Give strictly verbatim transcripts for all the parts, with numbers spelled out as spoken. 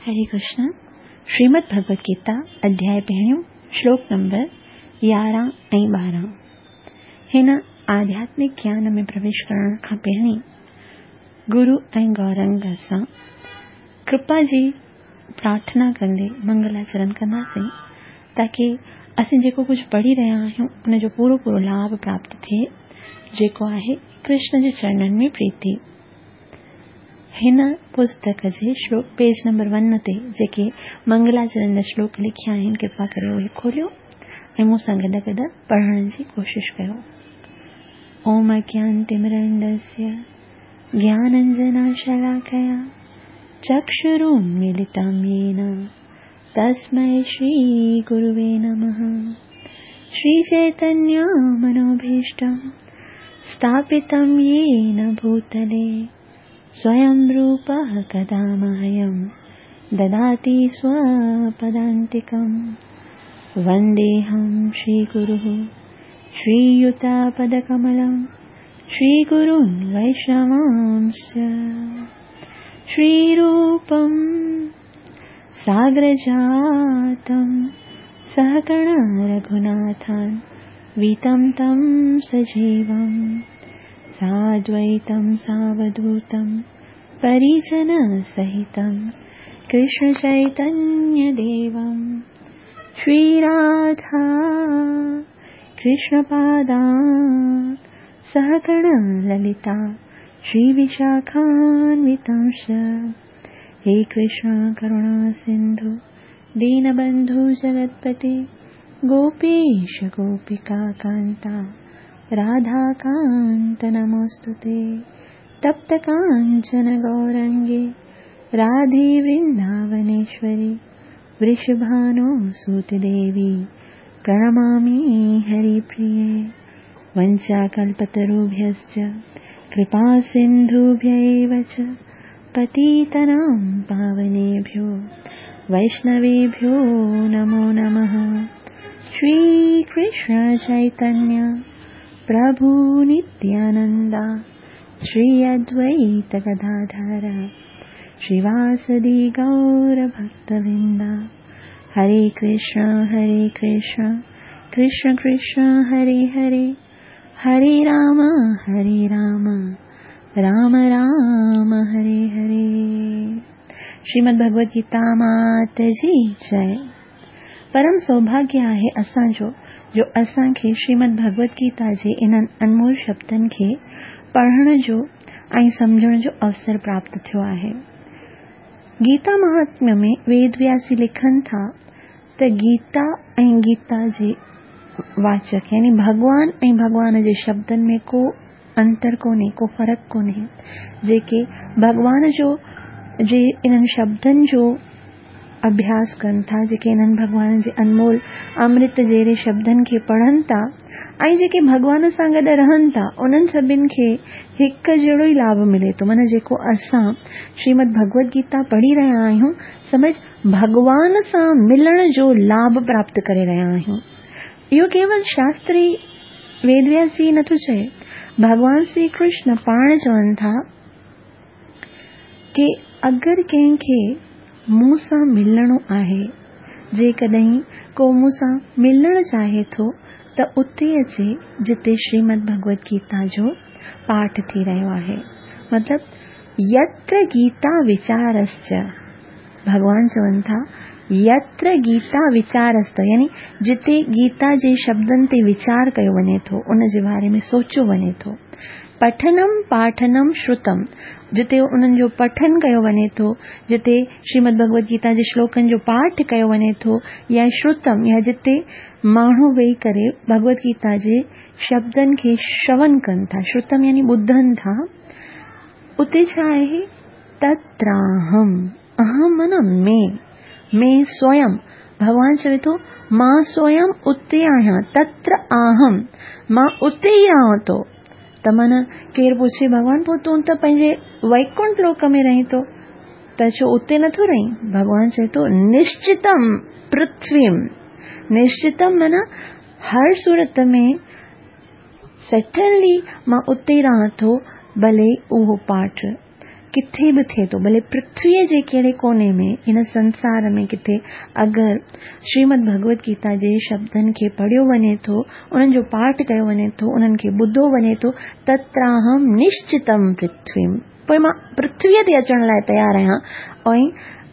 हरे कृष्ण। श्रीमद् भगवद गीता अध्याय पहिरियों श्लोक नंबर यारहं ऐं ॿारहं। हिन आध्यात्मिक ज्ञान में प्रवेश करण खां पहिरीं गुरु ऐं गौरंग सां कृपा जी प्रार्थना कंदे मंगलाचरण कंदासीं ताकी असीं जेको कुझु पढ़ी रहिया आहियूं उनजो पूरो पूरो लाभ प्राप्त थिए, जेको आहे कृष्ण जे चरणनि में प्रीति। हिन पुस्तक जे श्लोक पेज नंबर वन ते जेके मंगलाचरण जा श्लोक लिखिया आहिनि, कृपा करे उहे खोलियो ऐं मूंसां गॾु गॾु पढ़ण जी कोशिश कयो। ओम अज्ञानतिमिरन्दस्य ज्ञानाञ्जनशलाकया चक्षुरुन्मीलितं येन तस्मै श्रीगुरुवे नमः। श्रीचैतन्यमनोभीष्टं स्थापितं येन भूतले स्वयं रूपः कदा मह्यं ददाति स्वपदान्तिकं। वन्देऽहं श्रीगुरुः श्रीयुतपदकमलं श्रीगुरून् वैष्णवांश्च। श्रीरूपं साग्रजातं सहगण रघुनाथान् वीतं तं सजीवं साद्वैतं सावधूतं परिजनसहितं कृष्णचैतन्यदेवं। श्रीराधा कृष्णपादान् सहगण ललिता श्रीविशाखान्वितांश्च। हे कृष्ण करुणा सिन्धु दीनबन्धु जगत्पते गोपेश गोपिका कान्ता राधाकान्त नमोऽस्तुते। तप्त काञ्चन गौरङ्गे राधे वृन्दावनेश्वरि वृषभानुसुते देवी प्रणमामि हरिप्रिये। वञ्चाकल्पतरुभ्यश्च कृपासिन्धुभ्य एव च पतितानां पावनेभ्यो वैष्णवेभ्यो नमो नमः। श्रीकृष्ण चैतन्य प्रभु नित्यानंदा श्री अद्वैत गदाधर श्रीवासदि गौर भक्तवृंदा। हरे कृष्ण हरे कृष्ण कृष्ण कृष्ण हरे हरे, हरे राम हरे राम राम राम हरे हरे। श्रीमद् भगवद गीता मात जी जय। परम सौभाग्य आहे असांजो जो असांखे श्रीमद् भगवद गीता जे इन्हनि अनमोल शब्दनि खे पढ़ण जो ऐं सम्झण जो अवसर प्राप्त थियो आहे। गीता महात्म्य में वेद व्यास जी लिखनि था त गीता ऐं गीता जे वाचक यानी भॻवान ऐं भॻवान जे शब्दनि में को अंतर कोन्हे, को फ़र्क़ु कोन्हे। जेके भॻवान जो जे इन्हनि शब्दनि जो अभ्यास कनि था, जेके इन्हनि भॻवान जे अनमोल अमृत जहिड़े शब्दनि खे पढ़नि था ऐं जेके भॻवान सां गॾु रहनि था, उन्हनि सभिनी खे हिकु जहिड़ो ई लाभ मिले थो। माना जेको असां श्रीमद् भगवद गीता पढ़ी रहिया आहियूं, सम्झ भॻवान सां मिलण जो लाभ प्राप्त करे रहिया आहियूं। इहो केवल शास्त्री वेदव्यास जी नथो चए, भॻवान श्री कृष्ण पाण चवनि था की अगरि कंहिंखे मूं सां मिलणो आहे, जेकॾहिं को मूं सां मिलणु चाहे थो त उते अचे जिते श्रीमद् भगवद गीता जो पाठ थी रहियो आहे। मतिलबु यत्र गीता विचारश्च, भॻवान चवनि था यत्र गीता विचारश्च, यानी जिते गीता जे शब्दनि ते वीचार कयो वञे थो, उन जे बारे में सोचियो वञे थो। पठनम पाठनम श्रुतम, जिते उन्हनि जो पठन कयो वञे थो, जिते श्रीमद् भगवद गीता जे श्लोकनि जो पाठ कयो वञे थो, या श्रुतम या जिते माण्हू वेही करे भगवद गीता जे शब्दनि खे श्रवण कनि था, श्रुतम यानी ॿुधनि था, उते छा आहे तत्राहम। अहम माना मैं, मैं स्वयं। भॻवान चवे थो मां स्वयं उते आहियां, तत्र आहम, मां उते ई रहां थो। त माना केरु पुछे भॻवान पोइ तूं त पंहिंजे वैकुंठ लोक में रहीं थो, त छो उते नथो रहीं? भॻवान चए थो निश्चितम पृथ्वीम। निश्चितम माना हर सूरत में सर्टनली मां उते ई रहां थो, भले उहो पाठ किथे बि थिए थो, भले पृथ्वीअ जे कहिड़े कोने में, हिन संसार में किथे अगरि श्रीमद भगवत गीता जे शब्दनि खे पढ़ियो वञे थो, उन्हनि जो पाठ कयो वञे थो, उन्हनि खे ॿुधो वञे थो, तत्राहं निश्चितं पृथ्वीं, पोइ मां पृथ्वीअ ते अचण लाइ तयारु आहियां। ऐं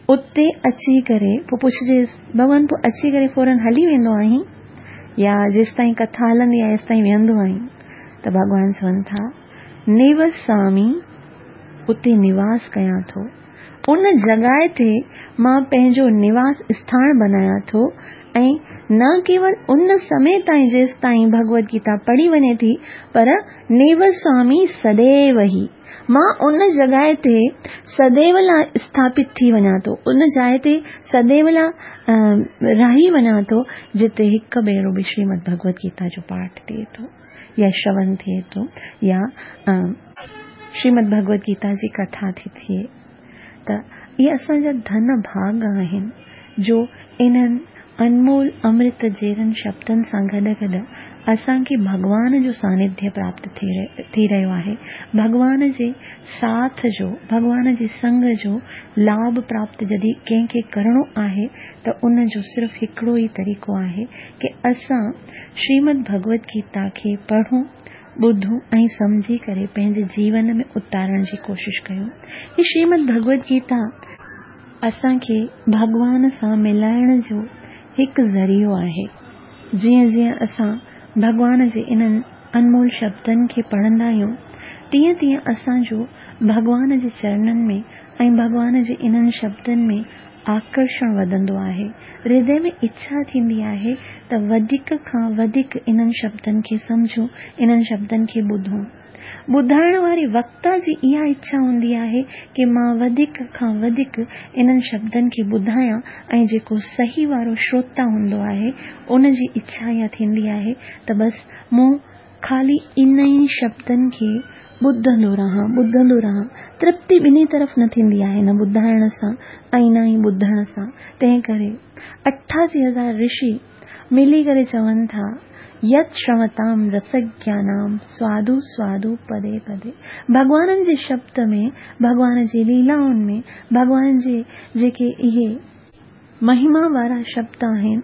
उते अची करे पोइ पुछिजेसि, भॻवान पोइ अची करे फ़ौरन हली वेंदो आहीं या जेसि ताईं कथा हलंदी आहे तेसि ताईं वेहंदो आहीं? त भॻवान चवनि था निवसामी, उते निवास कयां थो, उन जॻह ते मां पंहिंजो निवास स्थान बनायां थो। ऐं न केवल उन समय ताईं जेसि ताईं भगवत गीता पढ़ी वञे थी, पर निवसामी सदैव ही, मां उन जॻह ते सदैव लाइ स्थापित थी वञां थो, उन जाइ ते सदैव लाइ रही वञां थो जिते हिकु भेरो बि श्रीमद भगवत गीता जो पाठ थिए थो या श्रवण थिए थो या श्रीमद भगवत गीता जी कथा थी थिए। त इहे असांजा धन भाग आहिनि जो इन्हनि अनमोल अमृत जहिड़नि शब्दनि सां गॾु गॾु असांखे भॻवान जो सानिध्य प्राप्त थी रहियो आहे, भॻवान जे साथ जो, भॻवान जे संग जो लाभ प्राप्त जॾहिं कंहिंखे करिणो आहे त उन जो सिर्फ़ु हिकिड़ो ई तरीक़ो आहे की असां श्रीमद भगवत गीता खे पढ़ूं, ॿुधूं ऐं सम्झी करे पंहिंजे जीवन में उतारण जी कोशिशि कयूं। हीअ श्रीमद भगवत गीता असांखे भॻवान सां मिलाइण जो हिकु ज़रियो आहे। जीअं जीअं असां भॻवान जे इन्हनि अनमोल शब्दनि खे पढ़ंदा आहियूं, तीअं तीअं असांजो भॻवान जे चरणनि में ऐं भॻवान जे इन्हनि शब्दनि में आकर्षण वधंदो आहे। हृदय में इच्छा थींदी आहे त वधीक खां वधीक इन्हनि शब्दनि खे सम्झूं, इन्हनि शब्दनि खे ॿुधूं। ॿुधाइण वारी वक्ता जी इहा इच्छा हूंदी आहे की मां वधीक खां वधीक इन्हनि शब्दनि खे ॿुधायां ऐं जेको सही वारो श्रोता हूंदो आहे उनजी इच्छा इहा थींदी आहे त बसि मूं ख़ाली इन ई शब्दनि खे ॿुधंदो रहां, ॿुधंदो रहां। तृप्ति ॿिन्ही तरफ़ न थींदी आहे, न ॿुधाइण सां ऐं न ई ॿुधण सां। तंहिं करे अठासी हज़ार ऋषि मिली करे चवनि था, यत् श्रवताम रसज्ञानाम स्वादु स्वादु पदे पदे। भॻवाननि जे शब्द में, भॻवान जी लीलाउनि में, भॻवान जे जेके इहे महिमा वारा शब्द आहिनि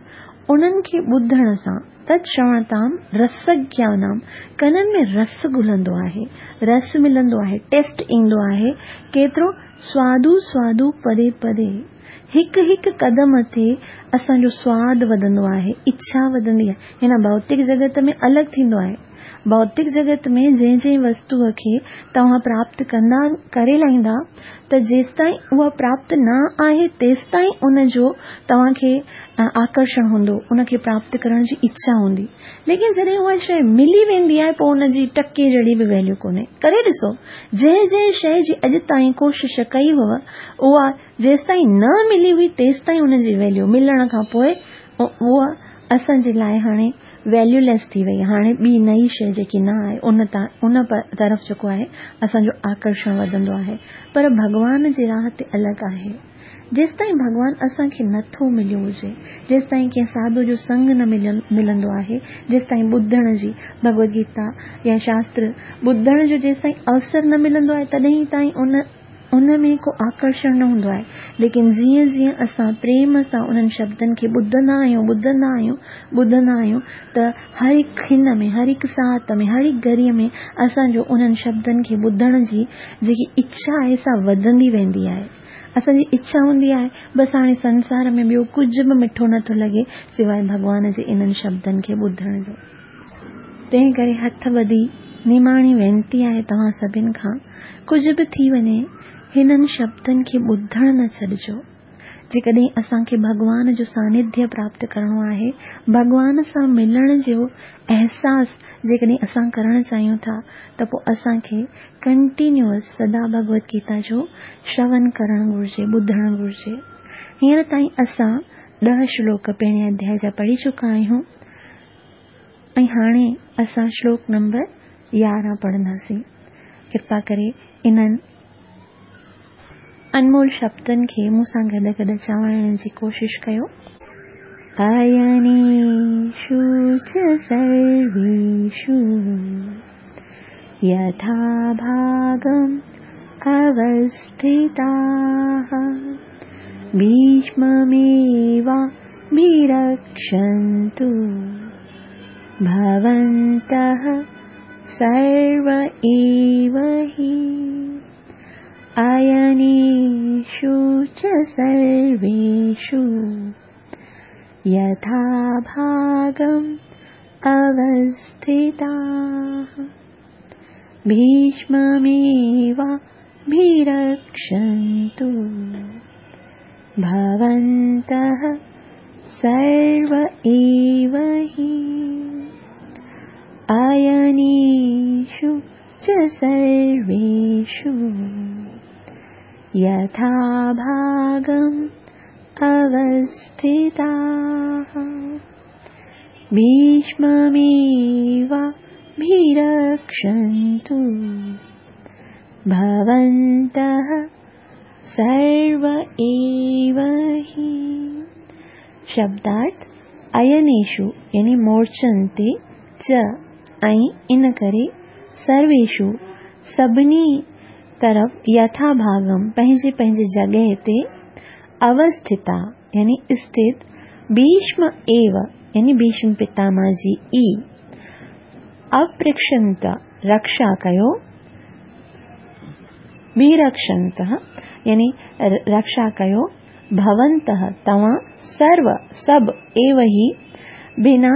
उन्हनि खे ॿुधण सां तत् श्रवणताम रसज्ञानाम, कननि में रस घुलंदो आहे, रस मिलंदो आहे, टेस्ट ईंदो आहे। केतिरो स्वादु स्वादु पदे पदे, हिकु हिकु कदम ते असांजो स्वादु वधंदो आहे, इच्छा वधंदी आहे। हिन भौतिक जगत में अलॻि थींदो आहे। भौतिक जगत में जंहिं जंहिं वस्तूअ खे तव्हां प्राप्त कंदा करे लाहींदा त जेसि ताईं उहा प्राप्त न आहे तेसि ताईं उनजो तव्हांखे आकर्षण हूंदो, उनखे प्राप्त करण जी इच्छा हूंदी। लेकिन जॾहिं उहा शइ मिली वेंदी आहे पोइ उनजी टके जहिड़ी बि वैल्यू कोन्हे। करे ॾिसो, जंहिं जंहिं शइ जी अॼु ताईं कोशिश कई हुअ उहा जेसि ताईं न मिली हुई तेसि ताईं उनजी वैल्यू, मिलण खां पोइ उहा असांजे लाइ हाणे वैल्यूलेस थी वई। हाणे ॿी नई शइ जेकी न आहे उन तां उन तरफ़ जेको आहे असांजो आकर्षण वधंदो आहे। पर भॻवान जी राह ते अलॻि आहे। जेसि ताईं भॻवान असांखे नथो मिलियो हुजे, जेसि ताईं कंहिं साधू जो संग न मिलंदो आहे, जेसि ताईं ॿुधण जी भगवत गीता या शास्त्र ॿुधण जो जेसि ताईं अवसर न मिलंदो आहे तॾहिं ताईं उन उन में को आकर्षण न हूंदो आहे। लेकिन जीअं जीअं असां प्रेम सां उन्हनि शब्दनि खे ॿुधंदा आहियूं ॿुधंदा आहियूं ॿुधंदा आहियूं त हर हिकु खिन में, हर हिकु सात में, हर हिकु घड़ीअ में असांजो उन्हनि शब्दनि खे ॿुधण जी जेकी इच्छा आहे सा वधंदी वेंदी आहे। असांजी इच्छा हूंदी आहे बसि हाणे संसार में ॿियो कुझु बि मिठो नथो लॻे सिवाइ भॻवान जे इन्हनि शब्दनि खे ॿुधण जो। तंहिं करे हथ ॿधी निमाणी वेनती आहे तव्हां सभिनि खां, कुझु बि थी वञे हिननि शब्दनि खे ॿुधण न छॾिजो। जेकॾहिं असांखे भॻवान जो सानिध्य प्राप्त करिणो आहे, भॻवान सां मिलण जो अहसासु जेकॾहिं असां करणु चाहियूं था त पोइ असांखे कंटिन्यूअस सदा भगवत गीता जो श्रवण करणु घुरिजे, ॿुधणु घुरिजे। हींअर ताईं असां ॾह श्लोक पहिरें अध्याय जा पढ़ी चुका आहियूं ऐं हाणे असां श्लोक नंबर यारहं पढ़ंदासीं। कृपा करे इन्हनि अनमोल शब्दनि खे मूं सां गॾु गॾु चवाइण जी कोशिशि कयो। अयनेषु च सर्वेषु यथा भागं अवस्थिताः भीष्ममेवाभिरक्षन्तु भवन्तः सर्व एव हि। अयनेषु च सर्वेषु यथा भागम् अवस्थिताः भीष्ममेवाभिरक्षन्तु भवन्तः सर्व एव हि। अयनेषु च सर्वेषु यथा भागम् अवस्थिताः भीष्ममेवाभिरक्षन्तु भवन्तः सर्व एव हि। शब्दार्थ अयनेषु यानी मोर्चनि ते च ऐं इन करे सर्वेषु सभिनी तरफ़ यथा भागम पंहिंजे पंहिंजे जॻह ते अवस्थिता यानी स्थित भीष्म एव यानी भीष्म पितामह जी ई अपृक्षंत रक्षा कयो बीरक्षंत यानी रक्षा कयो भवन्तः तव्हां सर्व सभु एव ही बिना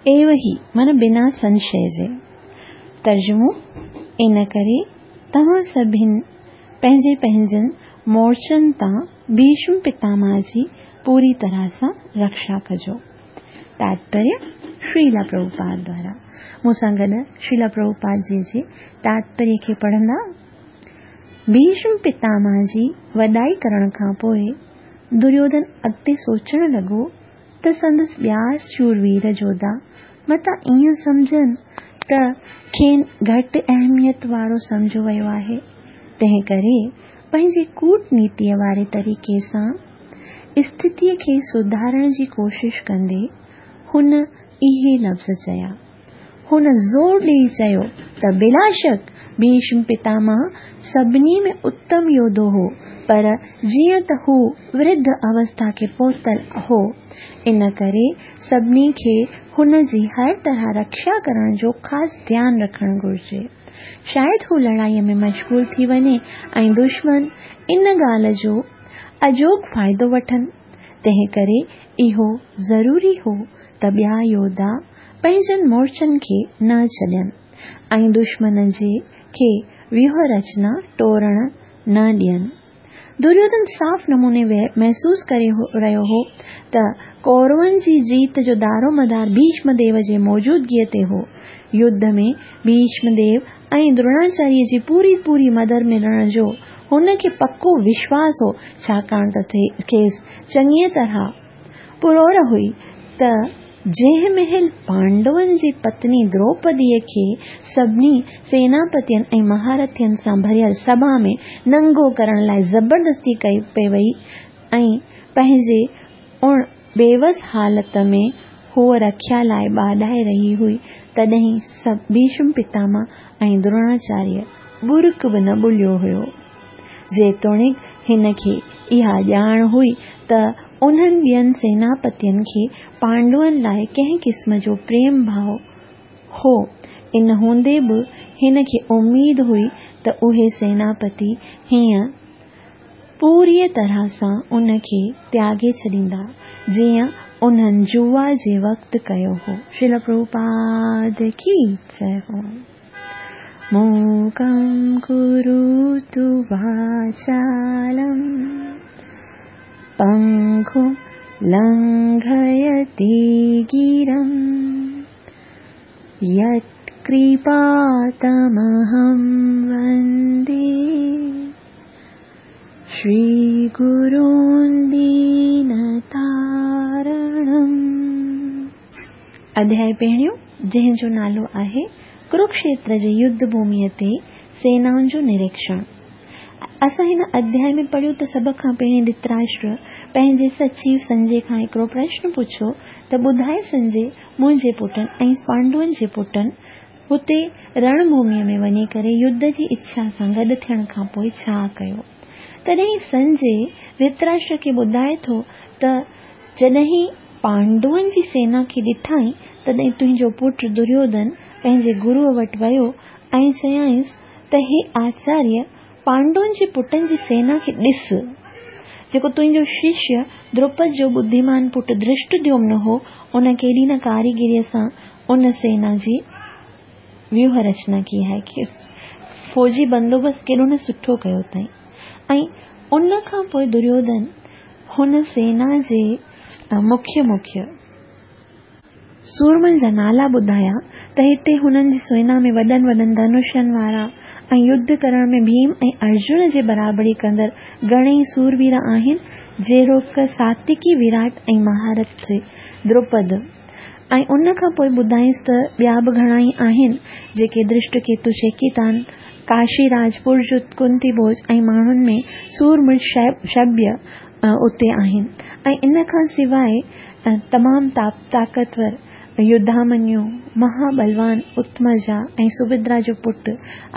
एव ही माना बिना संशय जे। तर्जुमो इन करे तव्हां सभिनि पंहिंजे पंहिंजनि मोर्चनि तां भीष्म पितामह जी पूरी तरह सां रक्षा कजो। तात्पर्य श्रीला प्रभुपाद द्वारा। मूंसां गॾु श्रीला प्रभुपाद जी जे तात्पर्य खे पढ़ंदा। भीष्म पितामह जी वॾाई करण खां पोइ दुर्योधन अॻिते सोचण लॻो त संदसि ॿिया शूरवीर जोधा मतां ईअं सम्झनि त खेनि घटि अहमियत वारो सम्झो वियो आहे, तंहिं करे पंहिंजे कूटनीतीअ वारे तरीक़े सां स्थितीअ खे सुधारण जी कोशिश कंदे हुन इहे लफ़्ज़ चया। हुन ज़ोर ॾेई चयो त बिलाशक भीष्म पितामह सभिनी में उत्तम योद्धो हो, पर जीअं त हू वृद्ध अवस्था खे पहुतल हो, इन करे सभिनी खे हुन जी हर तरह रक्षा करण जो ख़ासि ध्यानु रखणु घुरिजे। शायदि हू लड़ाईअ में मशगूल थी वञे ऐं दुश्मन इन ॻाल्हि जो अजोग फ़ाइदो वठनि, तंहिं करे इहो ज़रूरी हो त ॿिया योद्धा पंहिंजनि मोर्चनि खे न छॾनि ऐं दुश्मन जे खे व्यूह रचना टोड़ण न ॾियनि। दुर्योधन साफ़ नमूने महसूस करे रहियो हो त कौरवनि जी जीत जो दारोमदार भीष्मदेव जे मौजूदगीअ ते हो। युद्ध में भीष्मदेव ऐं द्रोणाचार्य जी पूरी पूरी मदद मिलण जो हुन खे पको विश्वास हो, छाकाणि त खेसि चङीअ तरह पुरोर हुई त जंहिं महिल पांडवनि जी पत्नी द्रौपदीअ खे सभिनी सेनापतियुनि ऐं महारथियुनि सां भरियल सभा में नंगो करण लाइ ज़बरदस्ती कई पई वई ऐं पंहिंजे उण बेवस हालत में हूअ रखिया लाइ ॿाॾाए रही हुई, तॾहिं भीष्म पितामह ऐं द्रोणाचार्य बुरक बि न ॿुलियो हुयो। जेतोणीकि हिन खे इहा ॼाण हुई त उन्हनि ॿियनि सेनापतियुनि खे पांडवनि लाइ कंहिं क़िस्म जो प्रेम भाव हो, इन हूंदे बि हिन खे उमेद हुई त उहे सेनापति हीअं पूरीअ तरह सां उन खे त्यागे छॾींदा, जीअं उन्हनि जुआ जे वक़्तु कयो हो। श्रील प्रभुपाद की जय हो। मूकं करोतु वाचालं पङ्गुं लङ्घयते गिरिं यत्कृपातमहं वन्दे श्रीगुरून् दीनतारणम्। अध्याय पहिरियों जंहिं जो नालो आहे कुरुक्षेत्र जे युद्ध भूमिअ ते सेनाउनि जो निरीक्षण। असां हिन अध्याय में पढ़ियो त सभ खां पहिरीं धृतराष्ट्र पंहिंजे सचिव संजय खां हिकिड़ो प्रश्न पुछियो त ॿुधाए संजय, मुंहिंजे पुटनि ऐं पांडवनि जे पुटनि هتي رڻڀوميء ۾ وڃي ڪري يڌ جي اڇا سان گڏ ٿيڻ کان پوء ڇا ڪيو. تڏهن سنجي ڌرتراشٽر کي ٻڌائي ٿو ته جڏهن پانڊون جي سينا کي ڏٺائين تڏهن تنهنجو پٽ دريوڌن پنهنجي گروءَ وٽ ويو ۽ چيائينس ته هي آچاريه، پانڊون جي پٽن جي سينا کي ڏس. جيڪو تنهنجو ششيه دروپد جو ٻڌيمان پٽ ڌرشٽديمن هو، ان ڪيڏي نه ڪاريگريءَ سان ان سينا جي ويوهه رچنا ڪئي آهي، فوجي بندوبست ڪيڏو نه سٺو ڪيو اٿائين. ۽ ان کان پوءِ دريوڌن هن سينا جي مکيه مکيه سورمن جا نالا ٻڌايا ته هتي هنن جي سينا ۾ وڏن وڏن ڌنشن وارا ۽ يڌ ڪرڻ ۾ ڀيم ۽ ارجن جي برابري ڪندڙ گهڻيئي سوروير آهن، جهڙوڪ ساتيڪي وراٽ ۽ مهارٿ دروپد. ۽ ان کان پوءِ ٻڌائينس ته ٻيا به گهڻا ئي آهن، جيڪي درشٽڪيتو، چيڪيتان، ڪاشيراج، پرجت، ڪنتي ڀوج ۽ ماڻهن ۾ سورمڻ شبيه اتي آهن. ۽ ان کان سواءِ تمام طاقتور يڌامنيو، مهابلوان اتمجا ۽ سڀدرا جو پٽ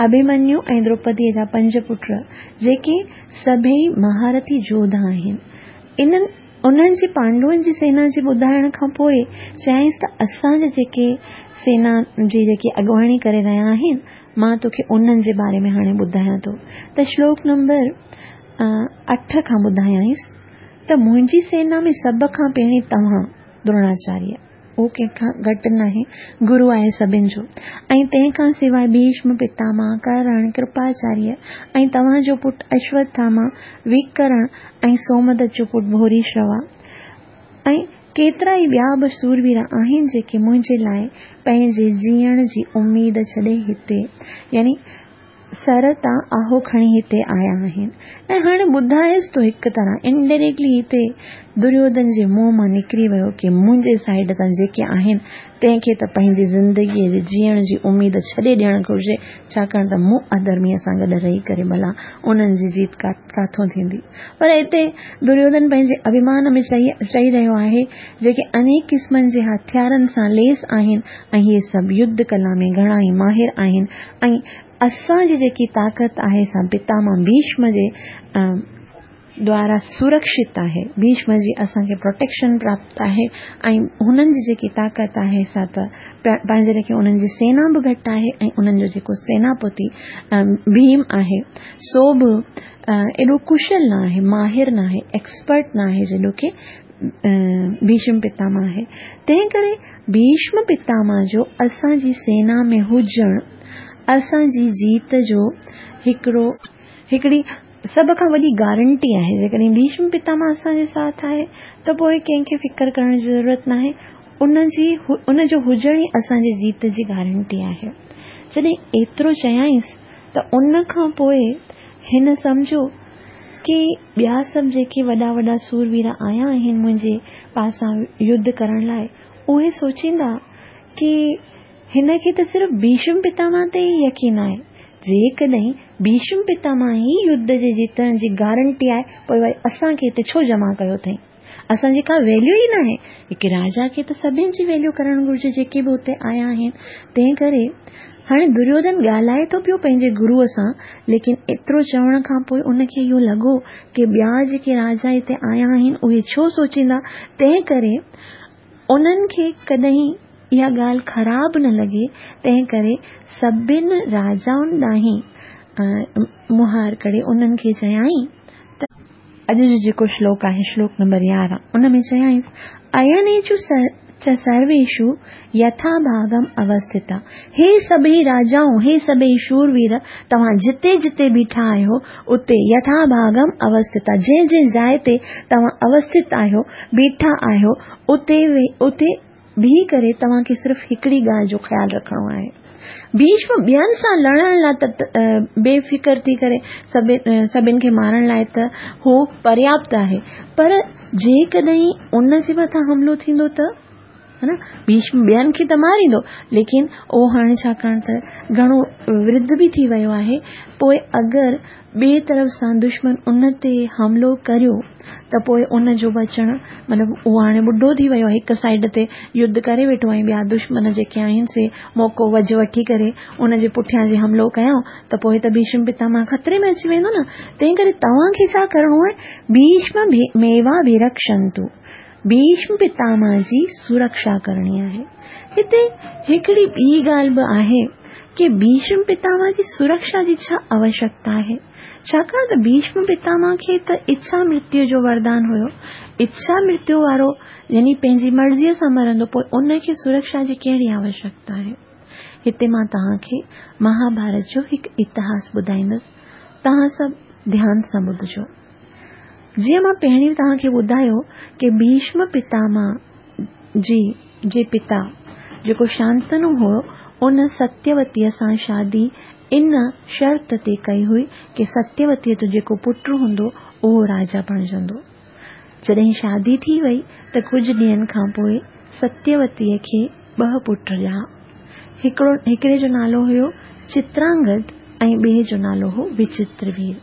اڀيمنيو ۽ دروپديءَ جا پنج پٽ، جيڪي سڀئي مهارٿي جوڌا آهن. انهن انهن جي پانڊون جي سينا جي ٻڌائڻ کان پوءِ چيائينس ته اسان جا جيڪي سينا جي جيڪي اڳواڻي ڪري رهيا آهن، مان توکي انهن جي باري ۾ هاڻي ٻڌايان ٿو. ته شلوڪ نمبر اٺ کان ٻڌايائينس ته منهنجي سينا ۾ سڀ کان پهرين توهان دروناچاريه، اهو ڪنهن کان گهٽ ناهي، گرو آهي سڀني جو. ۽ تنهن کان سواءِ ڀيشم پتامهه، ڪرڻ، ڪرپاچاريه ۽ توهان جو پٽ اشوٿاما، وڪرڻ ۽ سومدت جو پٽ ڀوريشروا ۽ ڪيترا ئي ٻيا به سوروير آهن، جيڪي منهنجي لاءِ پنهنجي جيئڻ جي اميد ڇڏي هتي، يعني سر تان آهو کڻي هتي آيا آهن. ۽ هاڻي ٻڌائيس ٿو هڪ طرح انڊائريڪٽلي هتي دريوڌن جي منهن مان نڪري ويو ڪه منهنجي سائيڊ تان جيڪي آهن تنهن کي ته پنهنجي زندگيءَ جي جيئڻ جي اميد ڇڏي ڏيڻ گهرجي، ڇاڪاڻ ته مون اڌرميءَ سان گڏ رهي ڪري ڀلا انهن جي جيت ڪاٿو ٿيندي. پر هتي دريوڌن پنهنجي اڀمان ۾ چئي چئي رهيو آهي، جيڪي انيڪ قسمن جي هٿيارن سان ليس آهن ۽ اهي سڀ يڌ ڪلا ۾ گهڻا ئي ماهر آهن ۽ اسان جي جيڪي طاقت آهي سا پتامهه ڀيشم جي دوارا سرڪشت آهي. ڀيشم جي اسان کي پروٽيڪشن پراپت آهي ۽ هنن جي جيڪي طاقت آهي سا ته پنهنجي ليکي انهن جي سينا به گهٽ آهي ۽ انهن جو جيڪو سيناپتي ڀيم آهي سو به ايڏو ڪشل نه آهي، ماهر نه آهي، ايڪسپرٽ نه آهي جيڏو ڪه ڀيشم پتامهه آهي. تنهن ڪري ڀيشم پتامهه جو اسان جي سينا ۾ هجڻ اسان جي جيت جو هڪڙو هڪڙي سڀ کان وڏي گارنٽي آهي. جيڪڏهن ڀيشم پتامهه اسان جي ساٿ آهي ته پوءِ ڪنهن کي فڪر ڪرڻ جي ضرورت ناهي، ان جي ان جو هجڻ ئي اسان جي جيت جي گارنٽي آهي. جڏهن ايترو چيائينس ته ان کان پوءِ هن سمجهيو ڪه ٻيا سڀ جيڪي وڏا وڏا سوروير آيا آهن منهنجي پاسان يڌ ڪرڻ لاءِ، اهي سوچيندا ڪه هن کي ته صرف ڀيشم پتامهه تي ئي يقين آهي. جيڪڏهن ڀيشم پتامهه ئي يڌ جي جيتڻ جي گارنٽي آهي، پوءِ وري اسان کي هتي ڇو جمع ڪيو اٿئي؟ اسان جي ڪا ويليو ئي ناهي. هڪ راجا کي ته سڀني جي ويليو ڪرڻ گهرجي جيڪي به هتي آيا آهن. تنهن ڪري هاڻي دريوڌن ڳالهائي ٿو پيو پنهنجي گروءَ سان، ليڪن ايترو چوڻ کان پوءِ ان کي اهو لڳو ڪه ٻيا جيڪي راجا هتي آيا آهن اهي ڇو سوچيندا. تنهن ڪري انهن کي ڪڏهن اها ڳالهه خراب نه لڳي، تنهن ڪري سڀني راجائن ڏانهن مهار ڪري انهن کي چيائين ته اڄ جو جيڪو شلوڪ آهي شلوڪ نمبر يارهن، ان ۾ چيائينس اينيشو چ سرويشو يٿا ڀاگم اوسٿتا. هي سڀئي راجائون، هي سڀئي شوروير، توهان جتي جتي بيٺا آهيو اتي يٿا ڀاگم اوسٿتا، جنهن جنهن جاءِ تي توهان اوسٿت آهيو، بيٺا آهيو، اتي اتي بيهي ڪري توهان کي صرف هڪڙي ڳالهه جو خيال رکڻو آهي. ڀيشم ٻين سان لڙڻ لاءِ ته بي فڪر ٿي ڪري سڀني کي مارڻ لاءِ ته هو پرياپت آهي، پر جيڪڏهن ان جي مٿان حملو ٿيندو ته ها نه، ڀيشم ٻين کي ته ماريندو، ليڪن اهو هاڻي ڇاڪاڻ ته گهڻو ورڌ به ٿي ويو آهي، پوءِ اگر ٻئي طرف سان دشمن ان تي حملو ڪريو ته پوءِ ان جو بچڻ مطلب اهو هاڻي ٻڍو ٿي ويو آهي، هڪ سائيڊ تي يڌ ڪري ويٺو ۽ ٻيا دشمن جيڪي آهن سي موقعو وجهه وٺي ڪري ان جي پٺيان جي حملو ڪيائون ته پوءِ ته ڀيشم پتاماه خطري ۾ اچي ويندو نه. تنهن ڪري توهان کي ڇا ڪرڻو آهي، ڀيشم ميواڀرڪشنتو، ڀيشم پتاماه جي سرڪشا ڪرڻي آهي. هتي هڪڙي ٻي ڳالهه به آهي ڪه ڀيشم پتاماه جي سرڪشا جي ڇا آوشيڪتا آهي، ڇاڪاڻ ته ڀيشم پتاماه کي ته اڇا مرتيو جو وردان هيو، اڇا مرتيو وارو يعني پنهنجي مرضيءَ سان مرندو، پوءِ ان کي سرڪشا جي ڪهڙي آوشيڪتا آهي. هتي مان توهان کي مهاڀارت جو هڪ اتهاس ٻڌائيندس، توهان سڀ ڌيان سان ٻڌجو. جيئن مان پهرين توهان کي ٻڌايو ڪه ڀيشم پتاماه جي جي پتا جيڪو شانتنو هو ان ستيوتيءَ سان شادي ان شرط تي ڪئي هئي ڪه ستيوتيءَ جو جيڪو پٽ هوندو اهو راجا بڻجندو. جڏهن شادي ٿي وئي ته ڪجهه ڏينهن کان پوءِ ستيوتيءَ کي ٻه پٽ ڄايا. هڪڙو هڪڙي جو نالو هيو چترانگد ۽ ٻئي جو نالو هو وچتروير.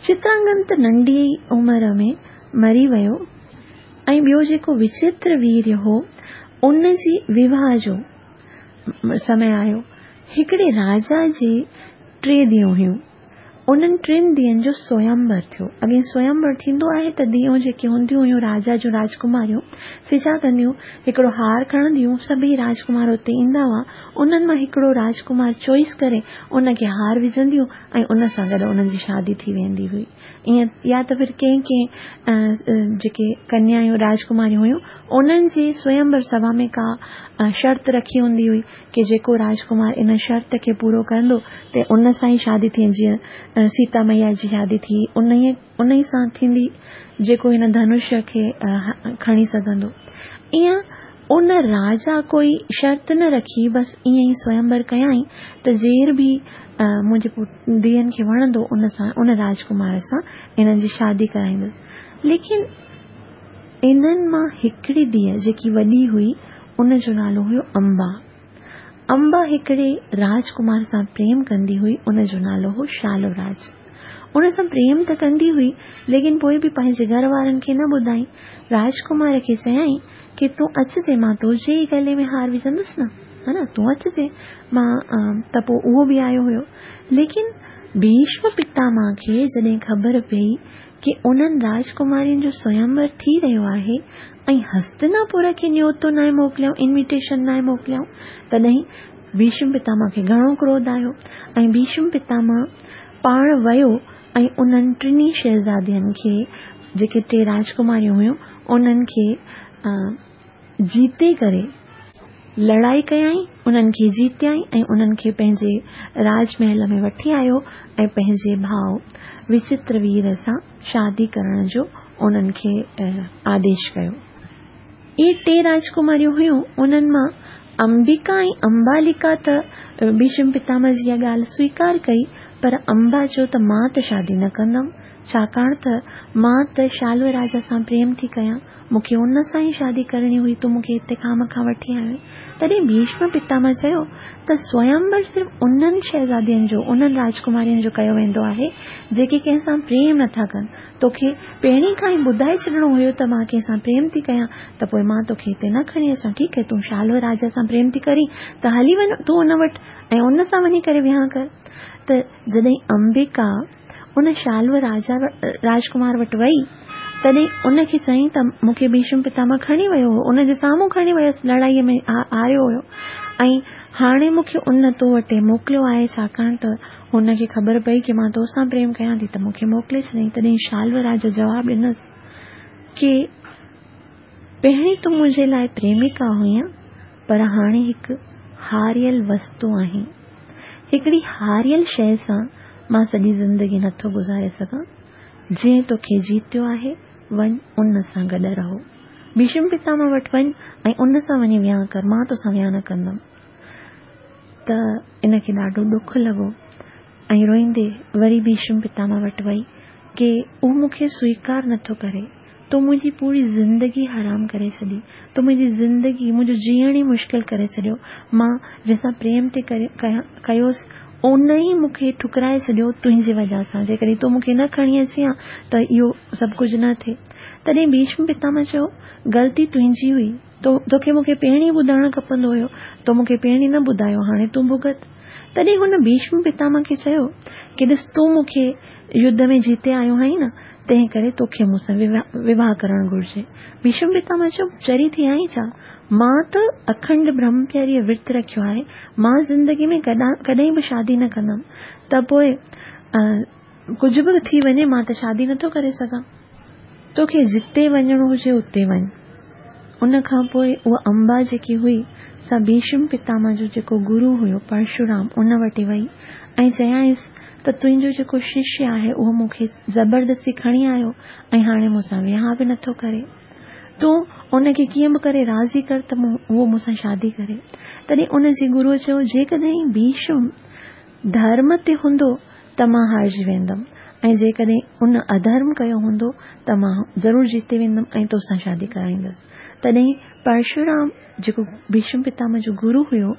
چترانگد ته ننڍي عمر ۾ مري ويو ۽ ٻيو جيڪو وچتروير هو ان جي وواهه جو سمي آيو. هڪڙي راجا جي ٽي ڌيئون هيون، انهن ٽن ڌيئن جو سويمور ٿيو. اڳي سويمور ٿيندو آهي ته ڌيئون جيڪي هونديون هيون راجا جون راجڪماريون سي ڇا ڪنديون، هڪڙو هار کڻنديون، سڀئي راجڪمار اتي ايندا هئا، انهن مان هڪڙو راجڪمار چوائس ڪري ان کي هار وجهنديون ۽ ان سان گڏ انهن جي شادي ٿي ويندي هئي. ائين يا ته ڦر ڪنهن ڪنهن جيڪي ڪنيايون راجڪماريون هيون انهن جي سويمور سڀا ۾ ڪا شرط رکي هوندي هئي ڪه جيڪو راجڪمار ان شرط کي پورو ڪندو ته ان سان ئي شادي ٿي، جيئن سيتا مئيا جي شادي ٿي ان ان ئي سان ٿيندي جيڪو هن ڌنش کي کڻي سگهندو. ائين ان راجا ڪوئي شرط نه رکي، بس ائين ئي سويمور ڪيائين ته جير به منهنجي ڌيئن کي وڻندو ان سان ان راجڪمار سان انهن جي شادي ڪرائيندس. ليڪن انهن مان هڪڙي ڌيءَ جيڪي وڏي هئي ان جو نالو هيو امبا. امبا هڪڙي راجڪمار سان پريم ڪندي هئي، ان جو نالو هو شالوراج. ان سان پريم ته ڪندي هئي ليڪن پوءِ به پنهنجي گهر وارن کي نه ٻڌائين. راجڪمار کي چيائين ڪه تون اچجي، مان تنهنجي ئي گلي ۾ هار وجهندس نه، ها نه، تون اچجي مان. ته پوءِ اهو به آيو هيو. ليڪن ڀيشم پتاماه کي جڏهن خبر پئي ڪه انهن راجڪمارين جو سويمور ٿي رهيو آهي ۽ هستناپور کي نيوتو ناهي موڪليائون، انويٽيشن ناهي موڪليائون، تڏهن ڀيشم پتاماه کي گهڻو ڪروڌ آيو ۽ ڀيشم پتاماه پاڻ ويو ۽ انهن ٽنهي شهزادين کي جيڪي ٽي راجڪماريون هيون انهن کي جيتي ڪري لڙائي ڪيائين، انهن کي جيتيائين ۽ انهن کي پنهنجي راج محل ۾ وٺي آيو ۽ پنهنجي ڀاءُ وچتروير سان شادي ڪرڻ جو انهن کي آديش ڪيو. اهي ٽي راجڪماريون هيون، انهن مان امبڪا ۽ امبالڪا ته ڀيشم پتاماه جي اها ڳالهه سويڪار ڪئي، پر امبا چيو ته مان ته شادي نه ڪندم، ڇاڪاڻ ته مان ته شالو راجا سان پريم ٿي ڪيان، مون کي ان سان ئي شادي ڪرڻي هئي، تون مون کي هتي کان مکان وٺي آيو آهين. تڏهن ڀيشم پتاماه چيو ته سويمور صرف انهن شهزادين جو، انهن راجڪمارين جو ڪيو ويندو آهي جيڪي ڪنهن سان پريم نٿا ڪن. توکي پهرين کان ئي ٻڌائي ڇڏڻو هيو ته مان ڪنهن سان پريم ٿي ڪيان، ته پوءِ مان توکي هتي نه کڻي اچان. ٺيڪ آهي، تون شالو راجا سان پريم ٿي ڪرين ته هلي وڃ تون ان وٽ ۽ ان سان وڃي ڪري وهانءُ ڪر. ته جڏهن امبڪا ان شالو راجا راجڪمار وٽ وئي تڏهن ان کي چيائين ته مون کي ڀيشم پتاماه کڻي ويو هو، ان جي سامهون کڻي ويس، لڙائيءَ ۾ هاريو هيو ۽ هاڻي مون کي ان تو وٽ موڪليو آهي، ڇاڪاڻ ته هن کي خبر پئي ڪه مان تو سان پريم ڪيان ٿي ته مون کي موڪلي ڇڏيائين. تڏهن شالو راجا جواب ڏنس ڪه پهرين تون منهنجي لاءِ پريمڪا هئين، پر هاڻي هڪ هاريل وستو آهين. هڪڙي هاريل شيءِ سان مان سڄي زندگي نٿو گذاري سگهان. جنهن توکي جيتيو آهي وڃ ان سان گڏ رهو، ڀيشم پتاماه وٽ وڃ ۽ ان سان وڃي وهانءُ ڪر، مان توسان وهانءُ نه ڪندم. ته ان کي ڏاڍو ڏک لڳو ۽ روئيندي وري ڀيشم پتاماه وٽ وئي ڪه اهو مون کي سويڪار نٿو ڪري، تو منهنجي پوري زندگي حرام ڪري ڇڏي، تو منهنجي زندگي، منهنجو جيئڻ ئي مشڪل ڪري ڇڏيو. مان جنهن سان پريم ٿي ڪيوس ان ئي مون کي ٺڪرائي ڇڏيو تنهنجي وجهه سان. جيڪڏهن تون مون کي نه کڻي اچين ها ته اهو سڀ ڪجهه نه ٿئي. تڏهن ڀيشم پتامهه چيو، غلطي تنهنجي هئي، توکي مون کي پهرين ئي ٻڌائڻ کپندو هيو، تو مون کي پهرين نه ٻڌايو، هاڻي تون ڀڳت. تڏهن هن ڀيشم پتامهه کي چيو ڪه ڏس تون مون کي يڌ ۾ جيتي آيو آهين نه، تنهن ڪري توکي مون سان وواهه ڪرڻ گهرجي. ڀيشم پتامهه چيو، چري ٿي آهين ڇا؟ مان ته اکنڊ برهمچريه ورت رکيو آهي، مان زندگي ۾ ڪڏهن به شادي نه ڪندم، ته پوء ڪجهه به ٿي وڃي مان ته شادي نٿو ڪري سگهان. توکي جتي وڃڻو هجي اتي وڃ. ان کان پوء اها امبا جيڪي هئي سا ڀيشم پتامهه جو جيڪو گرو هيو پرشورام ان وٽ وئي ۽ چيائينس ته تنهنجو جيڪو ششيه آهي اهو مون کي زبردستي کڻي آيو ۽ هاڻي مون سان وهانء به نٿو ڪري. تون ان کي ڪيئن به ڪري راضي ڪر ته اهو مون سان شادي ڪري. تڏهن ان جي گروء چيو، جيڪڏهن ڀيشم ڌرم تي هوندو ته مان هارجي ويندم ۽ جيڪڏهن ان اڌرم ڪيو هوندو ته مان ضرور جيتي ويندم ۽ توسان شادي ڪرائيندس. تڏهن پرشورام جيڪو ڀيشم پتامهه جو گرو هيو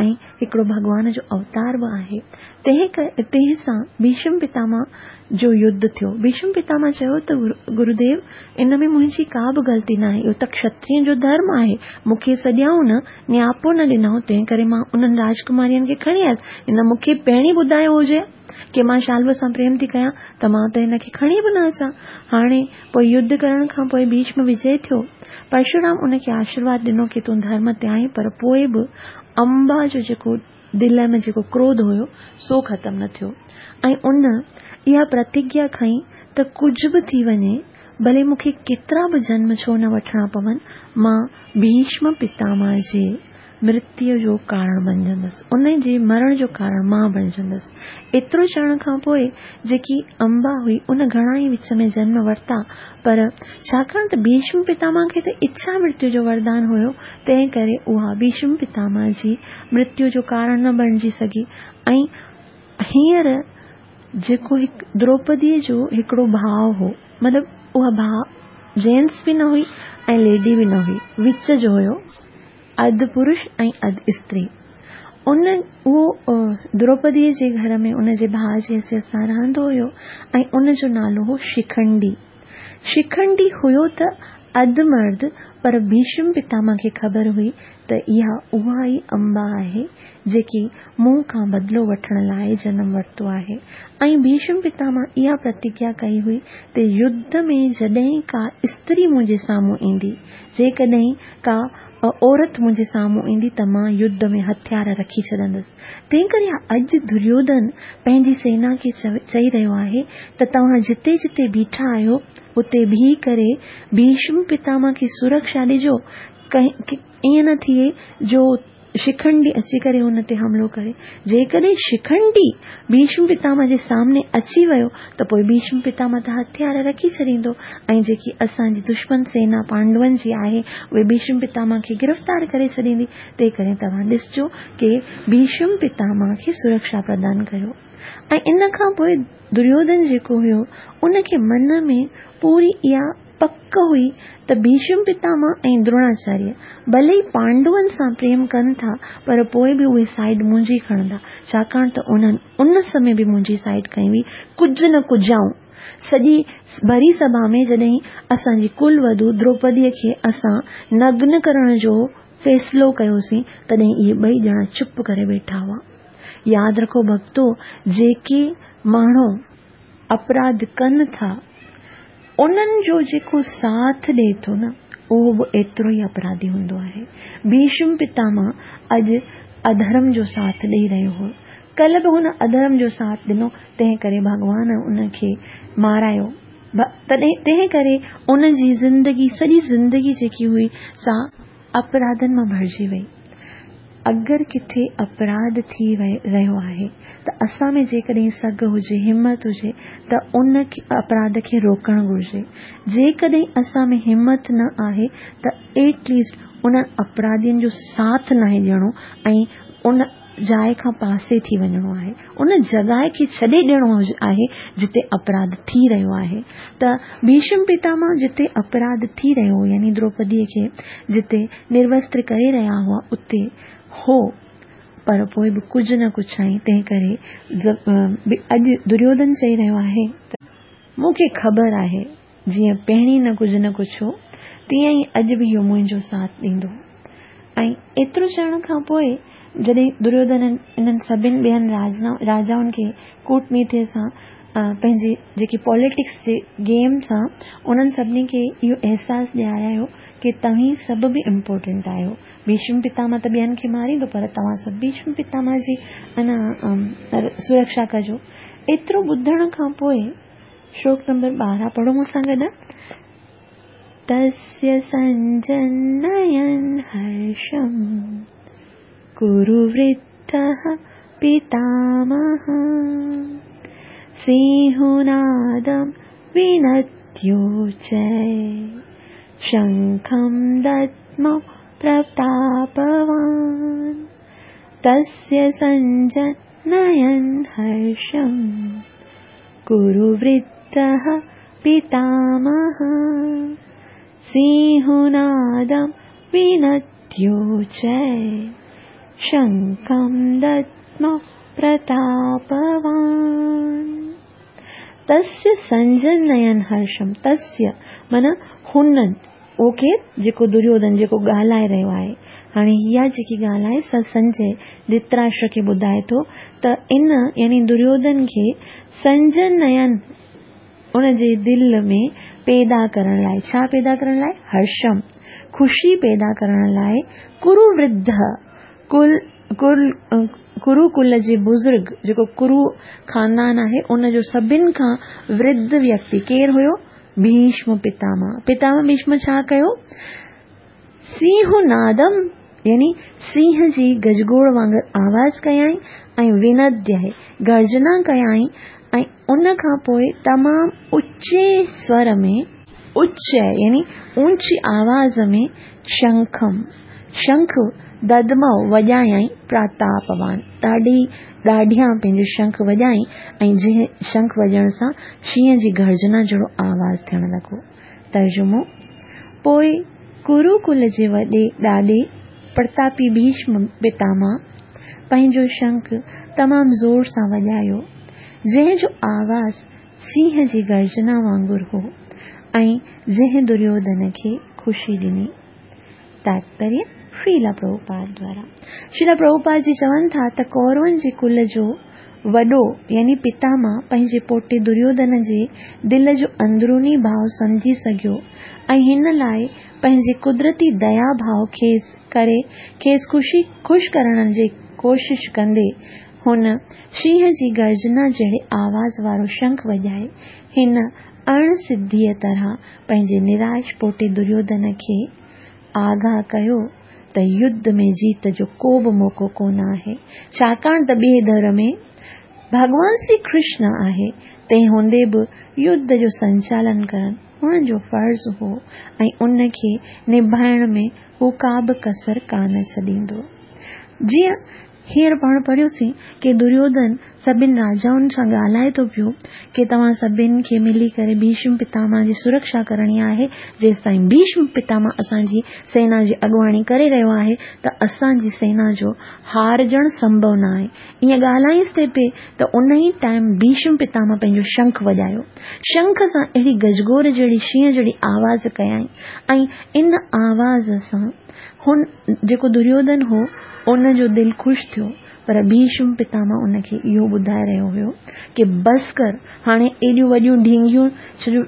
۽ هڪڙو ڀڳوان جو اوتار به آهي، تنهن تنهن سان ڀيشم پتامهه جو يڌ ٿيو. ڀيشم پتامهه چيو ته گروديو، ان ۾ منهنجي ڪا به غلطي ناهي، اهو ته کشترين جو ڌرم آهي. مون کي سڏيائون نه، نياپو نه ڏنائون، تنهن ڪري مان انهن راجڪمارين کي کڻي آيس. هن مون کي پهرين ٻڌايو هجي ڪه مان شالو سان پريم ٿي ڪيان ته مان ته هن کي کڻي به نه اچان. هاڻي پوء يڌ ڪرڻ کان پوء ڀيشم وجي ٿيو. پرشورام ان کي آشيرواد ڏنو ڪه تون ڌرم تي آهين، پر پوء به امبا جو جيڪو دل ۾ جيڪو ڪروڌ هيو سو ختم نه ٿيو ۽ ان اها پرتگيا کنئي ته ڪجهه به ٿي وڃي، ڀلي مون کي ڪيترا به جنم ڇو نه وٺڻا پون، مان ڀيشم پتامهه جي مرتيء جو ڪارڻ بڻجندس، ان جي مرڻ جو ڪارڻ مان بڻجندس. ايترو چوڻ کان پوء جيڪي امبا هئي ان گهڻا ئي وچ ۾ جنم ورتا، پر ڇاڪاڻ ته ڀيشم پتامهه کي ته اڇا مرتيو جو وردان هيو، تنهن ڪري اها ڀيشم پتامهه جي مرتيو جو ڪارڻ نه بڻجي سگهي. ۽ هينئر جيڪو هڪ دروپديء جو هڪڙو ڀاءُ هو، مطلب اها ڀاءُ جينٽس به نه هئي ۽ ليڊي به نه هئي، وچ جو هيو، اڌ پرش ۽ اڌ استري. ان اهو دروپديء جي گهر ۾ ان جي ڀاءُ جي حيثيت سان رهندو هيو ۽ ان جو نالو هو شکنڊي. شکنڊي هيو ته اڌ مرد، پر ڀيشم پتامهه کي خبر هئي ته اها اها ئي امبا آهي جيڪي مون کان بدلو وٺڻ لاءِ جنم ورتو آهي. ۽ ڀيشم پتامهه اها پرتگيا ڪئي هئي ته يڌ ۾ جڏهن ڪا استري منهنجي سامهون ايندي، جيڪڏهن ڪا عورت منهنجي سامهون ايندي ته مان يڌ ۾ هٿيار رکي ڇڏندس. تنهن ڪري اڄ دريوڌن پنهنجي سينا کي چئي رهيو آهي ته توهان جتي جتي بيٺا آهيو اتي بيهي ڪري ڀيشم پتامهه کي سرڪشا ڏجو، ائين نه ٿئي جو شکنڊي اچي ڪري هن تي حملو ڪري. جيڪڏهن شکنڊي ڀيشم پتامهه جي سامني اچي ويو ته پوءِ ڀيشم پتامهه ته هٿيار رکي ڇڏيندو ۽ جيڪي اسان جي دشمن سينا پانڊون جي آهي اهي ڀيشم پتامهه کي گرفتار ڪري ڇڏيندي. تنهن ڪري توهان ڏسجو ڪه ڀيشم پتامهه کي سرڪشا پردان ڪيو. ۽ ان کان پوءِ دريوڌن جيڪو هيو ان کي من ۾ پوري اها پڪ هئي ته ڀيشم پتامهه ۽ دروناچاريه ڀلي ئي پانڊون سان پريم ڪن ٿا، پر پوءِ به اهي سائيڊ منهنجي کڻندا، ڇاڪاڻ ته انهن ان سمي به منهنجي سائيڊ کنئي هئي. ڪجهه نه ڪجائون سڄي ڀري سڀا ۾ جڏهن اسان جي ڪل وڌو دروپديءَ کي اسان نگن ڪرڻ جو فيصلو ڪيوسين، تڏهن اهي ٻئي ڄڻا چپ ڪري ويٺا هئا. ياد رکو ڀڳتو، جيڪي ماڻهو اپراڌ ڪن ٿا انهن جو جيڪو ساٿ ڏئي ٿو نه، اهو به ايترو ئي اپراڌي هوندو آهي. ڀيشم پتامهه اڄ اڌرم جو ساٿ ڏيئي رهيو هو، ڪلهه به هن اڌرم جو ساٿ ڏنو، تنهن ڪري ڀڳوان ان کي مارايو. تڏهن تنهن ڪري ان جي زندگي، سڄي زندگي جيڪي هئي سا اپراڌن مان ڀرجي وئي. اگر ڪٿي اپراڌ ٿي رهيو آهي ته اسان ۾ جيڪڏهن سگهه هجي، همت هجي ته ان اپراڌ کي روڪڻ گهرجي. جيڪڏهن اسان ۾ همت نه آهي ته ايٽ ليسٽ انهن اپراڌين جو ساٿ ناهي ڏيڻو ۽ ان جاءِ کان پاسي ٿي وڃڻو آهي، ان جڳهه کي ڇڏي ڏيڻو آهي جتي اپراڌ ٿي رهيو آهي. ته ڀيشم پتامهه جتي اپراڌ ٿي رهيو هو، يعني دروپديء کي جتي نروستر ڪري رهيا هئا اتي هو، پر پوءِ به ڪجهه نه ڪڇائين. تنهن ڪري اڄ دريوڌن چئي رهيو آهي ته مون کي خبر آهي جيئن پهرين نه ڪجهه نه ڪڇيو تيئن ئي اڄ به اهو منهنجو ساٿ ڏيندو. ۽ ايترو چوڻ کان پوءِ جڏهن دريوڌن انهن سڀني ٻين راجائن کي ڪوٽنيتيءَ سان پنهنجي جيڪي پاليٽڪس جي گيم سان انهن سڀني کي اهو احساس ڏياريو ڪه توهين سڀ به امپورٽنٽ آهيو. ڀيشم پتامهه ته ٻين کي ماريندو، پر توهان سڀ ڀيشم پتامهه جي انا سرڪشا ڪجو. ايترو ٻڌڻ کان پوءِ شلوڪ نمبر ٻارهن پڙهو مون سان گڏ. تस्य سنجنयन् هرشم कुरु वृद्धः पितामहः सिंहनादं विनद्योचै शङ्खं दद्मौ प्रतापवान्। तस्य सञ्जनयन् हर्षं कुरु वृद्धः पितामहः सिंहनादं विनद्योचै शङ्खं दद्मौ प्रतापवान्। तस्य संजनयन हर्षम, तस्य माना हुननि, उहो केरु? जेको दुर्योधन जेको ॻाल्हाए रहियो आहे। हाणे इहा जेकी ॻाल्हि आहे सा संजय धृतराष्ट्र खे ॿुधाए थो त इन यानी दुर्योधन खे संजनयन उनजे दिलि में पैदा करण लाइ, छा पैदा करण लाइ? हर्षम, ख़ुशी पैदा करण लाइ। कुरु वृद्ध, कुल कुल कुरुकुल जे बुज़ुर्ग, जेको कुरु ख़ानदान आहे उनजो सभिनि खां वृद्ध व्यक्ति केरु हुयो? भीष्म पितामह। पितामह भीष्म छा कयो? सिंहनादम यानी सिंह जी गजगोड़ वांगुरु आवाज़ कयाई ऐं विनद्य गर्जना कयाई ऐं उन खां पोइ तमामु उचे स्वर में, उच्च यानी ऊंची आवाज़ में शंखम, शंख ददमौ वॼायईं प्रतापवान, ॾाढी ॾाढियां पंहिंजो शंख वॼाई ऐं जंहिं शंख वॼण सां शींहं जी गर्जना जहिड़ो आवाज़ थियण लॻो। तर्जुमो: पोइ कुरुकुल जे वॾे ॾाॾे प्रतापी भीष्म पितामह पंहिंजो शंख तमामु ज़ोर सां वॼायो, जंहिं जो आवाज़ सिंह जी गर्जना वांगुरु हो ऐं जंहिं दुर्योधन खे ख़ुशी ॾिनी। तात्पर्य श्रीला प्रभुपाद द्वारा। श्रीला प्रभुपाद जी चवनि था त कौरवनि जे कुल जो वॾो यानी पितामह पंहिंजे पोटे दुर्योधन जे दिलि जो अंदरूनी भाव सम्झी सघियो ऐं हिन लाइ पंहिंजे कुदरती दया भाव खेसि करे खेसि ख़ुशी ख़ुशि करण जी कोशिश कंदे हुन शींहं जी गर्जना जहिड़े आवाज़ वारो शंख वॼाए हिन अणसिद्धीअ तरह पंहिंजे निराश पोटे दुर्योधन खे आगाह कयो त युद्ध में जीत जो को बि मौक़ो कोन आहे, छाकाणि त ॿिए दौर में भॻवान श्री कृष्ण आहे, तंहिं हूंदे बि युद्ध जो संचालन करणु हुननि जो फ़र्ज़ हो ऐं उनखे निभाइण में हू का बि कसर कान छॾींदो। जीअं हींअर पाण पढ़ियोसीं की दुर्योधन सभिनि राजाउनि सां ॻाल्हाए थो पियो की तव्हां सभिनि खे मिली करे भीष्म पितामह जी सुरक्षा करणी आहे। जेसि ताईं भीष्म पितामह असांजी सेना जी अॻुवाणी करे रहियो आहे त असांजी सेना जो हारजणु संभव न आहे। ईअं ॻाल्हाईंसि ते पे त उन ई टाइम भीष्म पितामह पंहिंजो शंख वॼायो। शंख सां अहिड़ी गजगोर जहिड़ी शींहं जहिड़ी आवाज़ कयाईं ऐं इन आवाज़ सां हुन जेको दुर्योधन हो उन जो दिलि ख़ुशि थियो, पर भीष्म पितामह उनखे इहो ॿुधाए रहियो हुयो की बसि कर, हाणे एॾियूं वॾियूं ढींगियूं, छो जो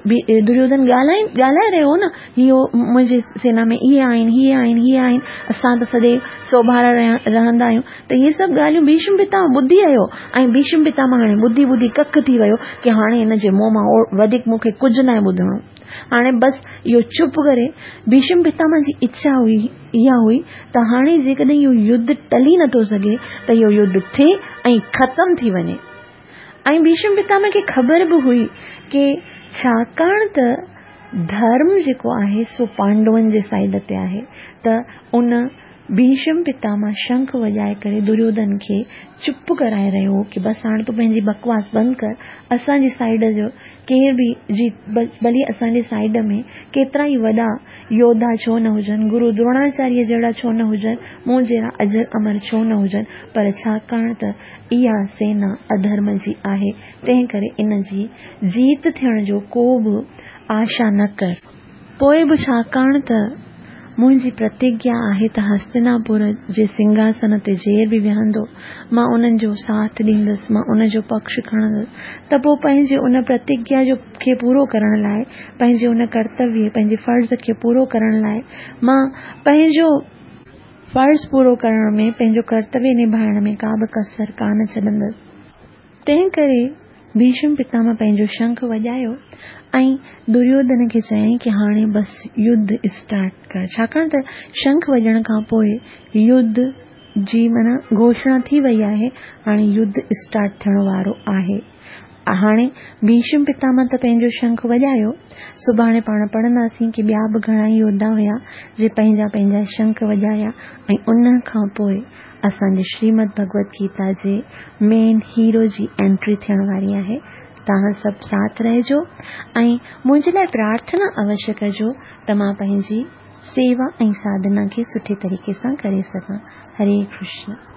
दुर्योधन ॻाल्हाए ॻाल्हाए रहियो हो न, इहो मुंहिंजी सेना में इहे आहिनि, इहे आहिनि, इहे आहिनि, असां त सॼे सोभारा रहंदा आहियूं। त इहे सभु ॻाल्हियूं भीष्म पितामह ॿुधी आयो ऐं भीष्म पितामह हाणे ॿुधी ॿुधी कक थी वियो की हाणे हिन जे मुंहुं मां वधीक मूंखे कुझु न आहे ॿुधणो, हाणे बसि इहो चुप करे। भीष्म पितामह जी इच्छा हुई इहा हुई त हाणे जेकॾहिं इहो युद्ध टली नथो सघे त इहो युद्ध थिए ऐं ख़तमु थी वञे। ऐं भीष्म पितामह खे ख़बर बि हुई की छाकाणि त धर्म जेको आहे सो पांडवनि जे साइड ते आहे, त उन ڀيشم پتامه شنک وڄائي ڪري دريوڌن کي چپ ڪرائي رهيو هو ڪه بس هاڻي تون پنهنجي بڪواس بند ڪر، اسان جي سائيڊ جو ڪير به جي ڀلي اسان جي سائيڊ ۾ ڪيترا ئي وڏا يوڌا ڇو نه هجن، گرو دروناچاريه جهڙا ڇو نه هجن، مون جهڙا اجر امر ڇو نه هجن، پر ڇاڪاڻ ته اها سينا اڌرم جي آهي، تنهن ڪري ان جي جيت ٿيڻ جو ڪو به آشا نه ڪر. پوء به ڇاڪاڻ ته منهنجي پرتگيا آهي ته هستناپور جي سنگهاسن تي جير به ويهندو، مان انهن جو ساٿ ڏيندس، مان ان جو پڪش کڻندس، ته پوء پنهنجي ان پرتگيا جو کي پورو ڪرڻ لاء، پنهنجي ان ڪرتويه، پنهنجي فرض کي پورو ڪرڻ لاء، مان پنهنجو فرض پورو ڪرڻ ۾، پنهنجو ڪرتويه نڀائڻ ۾ ڪا به ڪسر ڪانه ڇڏندس. تنهن ڪري ڀيشم پتامه پنهنجو شنک وڄايو ۽ دريوڌن کي چيائين ڪه هاڻي بس يڌ اسٽارٽ ڪر، ڇاڪاڻ ته شنک وڄڻ کان پوء يڌ جي معنيٰ گهوشڻا ٿي وئي آهي، هاڻي يڌ اسٽارٽ ٿيڻ وارو آهي. هاڻي ڀيشم پتامه ته پنهنجو شنک وڄايو، سڀاڻي پاڻ پڙهنداسين ڪه ٻيا به گهڻا ئي يوڌا هيا جي پنهنجا پنهنجا شنک وڄايا ۽ ان کان پوء اسان جي شريمد ڀڳوت گيتا جي مين هيرو جي انٽري ٿيڻ واري آهي. توهان سڀ ساٿ رهجو ۽ منهنجي لاء پرارٿنا اوشيه ڪجو ته مان پنهنجي سيوا ۽ ساڌنا کي سٺي طريقي سان ڪري سگهان. هري ڪرشن.